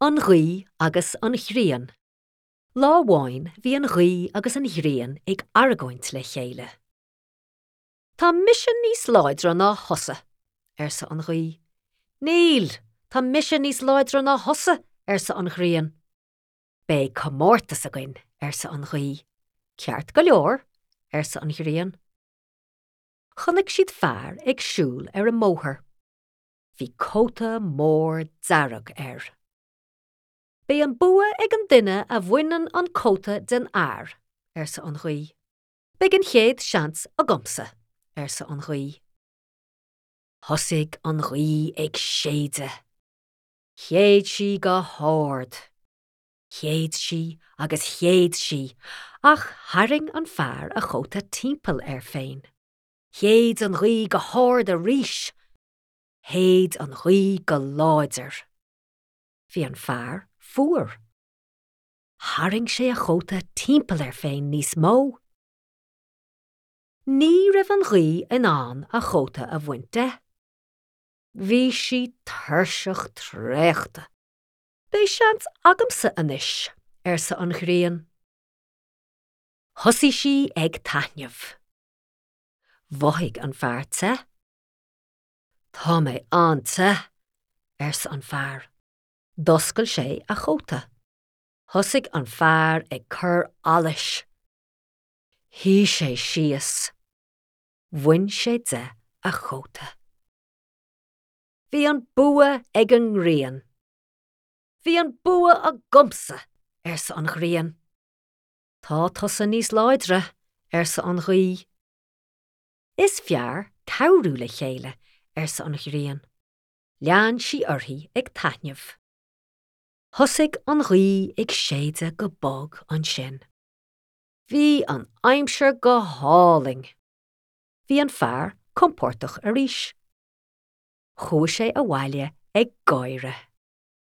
An Ghaoth agus an Ghrian. Lá amháin bhí an ghaoth agus an ghrian ag argóint le chéile. Tá mise níos láidre ná thusa, arsa an ghaoth. Níl, tá mise níos láidre ná thusa, arsa an ghrian. Beidh comórtas againn, arsa an ghaoth. Ceart go leor, arsa an ghrian. Chonaic siad fear ag siúl ar an mbóthar. Bhí cóta mór dearg air. Beidh an bua ag an duine a bhaineann an cóta den fhear, arsa an ghaoth. Beidh an chéad seans agamsa, arsa an ghaoth. Thosaigh an ghaoth ag séideadh. Shéid sí go hard. Shéid sí agus shéid sí, ach tharraing an fear a chóta timpeall air féin. Shéid an ghaoth go hard arís. Shéid an ghaoth go láidir. Bhí an fear fuar. Tharraing sé a chóta timpeall air féin níos mó. Ní raibh an ghaoth in ann a chóta a bhaint de. Bhí sí tuirseach traochta. Beidh seans agamsa anois, arsa an ghrian. Thosaigh sí ag taitneamh. Mhothaigh an fear te. Tá mé an-te, arsa an fear. D'oscail sé a chóta. Thosaigh an fear ag cur allais. Shuigh sé síos. Bhain sé de a chóta. Bhí an bua ag an ngrian. Bhí an bua agamsa, arsa an ghrian. Tá tusa níos láidre, arsa an ghaoth. Is fearr cabhrú le chéile, arsa an ghrian. Lean sí uirthi ag taitneamh. Thosaigh an ghaoth ag séideadh go bog ansin. Bhí an aimsir go hálainn. Bhí an fear compordach arís. Chuaigh sé abhaile ag gáire.